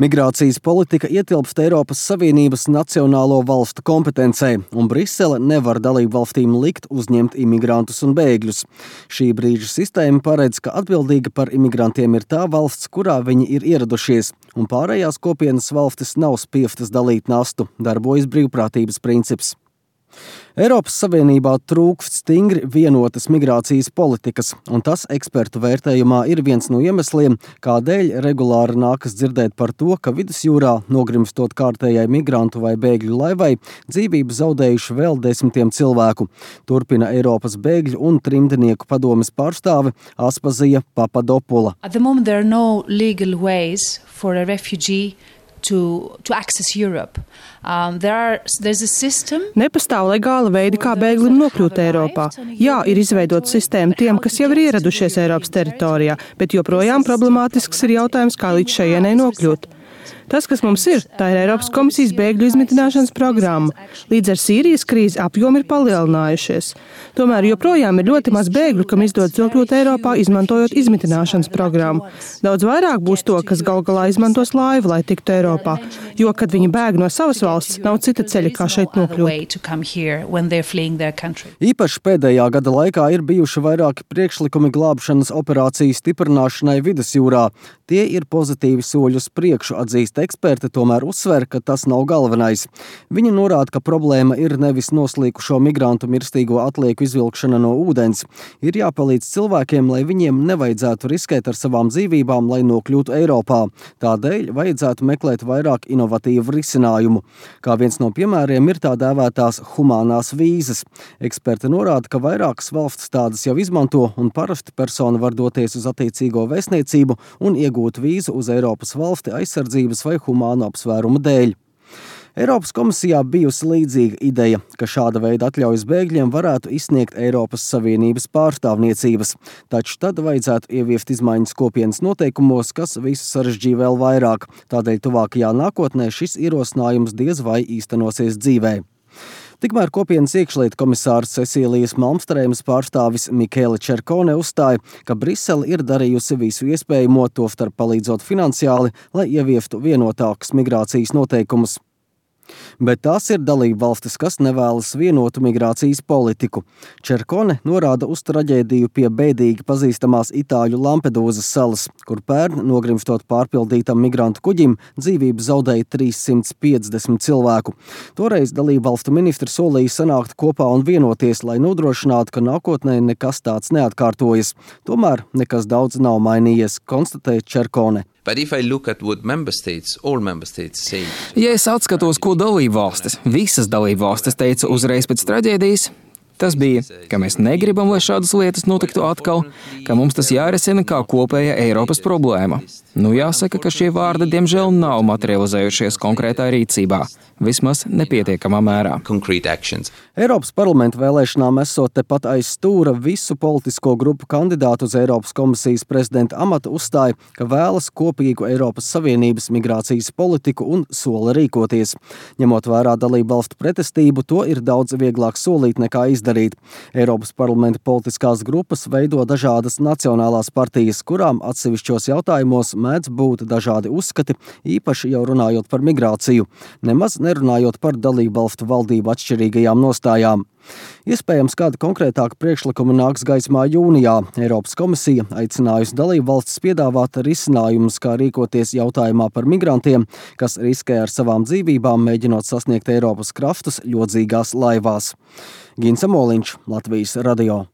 Migrācijas politika ietilpst Eiropas Savienības nacionālo valstu kompetencē, un Brisele nevar dalību valstīm likt uzņemt imigrantus un bēgļus. Šī brīža sistēma paredz, ka atbildīga par imigrantiem ir tā valsts, kurā viņi ir ieradušies, un pārējās kopienas valstis nav spiestas dalīt nastu, darbojas brīvprātības princips. Eiropas Savienībā trūkst stingri vienotas migrācijas politikas, un tas ekspertu vērtējumā ir viens no iemesliem, kādēļ regulāri nākas dzirdēt par to, ka vidusjūrā, nogrimstot kārtējai migrantu vai bēgļu laivai, dzīvību zaudējuši vēl desmitiem cilvēku. Turpina Eiropas bēgļu un trimdnieku padomes pārstāve Aspazija Papadopula. At the moment there are no legal ways for a refugee to access Europe. There's a system. Nepastāv legāla veidi, kā bēglim nokļūt Eiropā. Jā, ir izveidota sistēma tiem, kas jau ir ieradušies Eiropas teritorijā, bet joprojām problemātisks ir jautājums, kā līdz šajienei nokļūt. Tas, kas mums ir, tā ir Eiropas komisijas bēgļu izmitināšanas programma. Līdz ar Sīrijas krīzi apjomi ir palielinājušies. Tomēr joprojām ir ļoti maz bēgļu, kam izdodas nokļūt Eiropā, izmantojot izmitināšanas programmu. Daudz vairāk būs to, kas gal galā izmantos laivu, lai tiktu Eiropā, jo, kad viņi bēg no savas valsts, nav cita ceļa, kā šeit nokļūt. Īpaši pēdējā gada laikā ir bijuši vairāki priekšlikumi glābšanas operāciju stiprināšanai vidusjūrā. Tie ir pozitīvi soļi uz priekšu, atzīst eksperti, tomēr uzsver, ka tas nav galvenais. Viņi norāda, ka problēma ir nevis noslīkušo migrantu mirstīgo atlieku izvilkšana no ūdens. Ir jāpalīdz cilvēkiem, lai viņiem nevajadzētu riskēt ar savām dzīvībām, lai nokļūtu Eiropā. Tādēļ vajadzētu meklēt vairāk inovatīvu risinājumu. Kā viens no piemēriem ir tā dēvētās humānās vīzas. Eksperti norāda, ka vairākas valstis tādas jau izmanto, un parasti persona var doties uz attiecīgo vēstniecību un iegūt vīzu uz Eiropas valsti aizsardzības vai humānu apsvērumu dēļ. Eiropas komisijā bijusi līdzīga ideja, ka šāda veida atļaujas bēgļiem varētu izsniegt Eiropas Savienības pārstāvniecības, taču tad vajadzētu ieviest izmaiņas kopienas noteikumos, kas visu sarežģīja vēl vairāk. Tādēļ tuvākajā nākotnē šis ierosinājums diez vai īstenosies dzīvē. Tikmēr kopienas iekšlietu komisārs Cecīlijas Malmstrēmas pārstāvis Michele Cercone uzstāja, ka Brisele ir darījusi visu iespējamo, tostarp palīdzot finansiāli, lai ieviestu vienotākus migrācijas noteikumus. Bet tās ir dalība valstis, kas nevēlas vienotu migrācijas politiku. Cercone norāda uz traģēdiju pie bēdīgi pazīstamās Itāļu Lampedūzas salas, kur pērn, nogrimstot pārpildītam migrantu kuģim, dzīvību zaudēja 350 cilvēku. Toreiz dalība valstu ministri solīja sanākt kopā un vienoties, lai nodrošinātu, ka nākotnē nekas tāds neatkārtojas. Tomēr nekas daudz nav mainījies, konstatēja Cercone. Ja es atskatos, ko dalībvalstis, visas dalībvalstis teica uzreiz pēc traģēdijas, tas bija, ka mēs negribam, lai šādas lietas notiktu atkal, ka mums tas jārisina kā kopēja Eiropas problēma. Jāsaka, ka šie vārdi diemžēl nav materializējušies konkrētā rīcībā, vismaz nepietiekamā mērā. Eiropas parlamenta vēlēšanām esot tepat aiz stūra visu politisko grupu kandidātu uz Eiropas komisijas prezidenta amatu uzstāja, ka vēlas kopīgu Eiropas Savienības migrācijas politiku un sola rīkoties. Ņemot vērā dalību valstu pretestību, to ir daudz vieglāk solīt nekā izdarīt. Eiropas parlamenta politiskās grupas veido dažādas nacionālās partijas, kurām atsevišķos jautājumos mēdz būt dažādi uzskati, īpaši jau runājot par migrāciju, nemaz nerunājot par dalību valstu valdību atšķirīgajām nostājām. Iespējams, kāda konkrētāka priekšlikuma nāks gaismā jūnijā. Eiropas komisija aicinājusi dalību valstis piedāvāt risinājumus, kā rīkoties jautājumā par migrantiem, kas riskē ar savām dzīvībām, mēģinot sasniegt Eiropas krastus ļodzīgās laivās. Gins Amoliņš, Latvijas radio.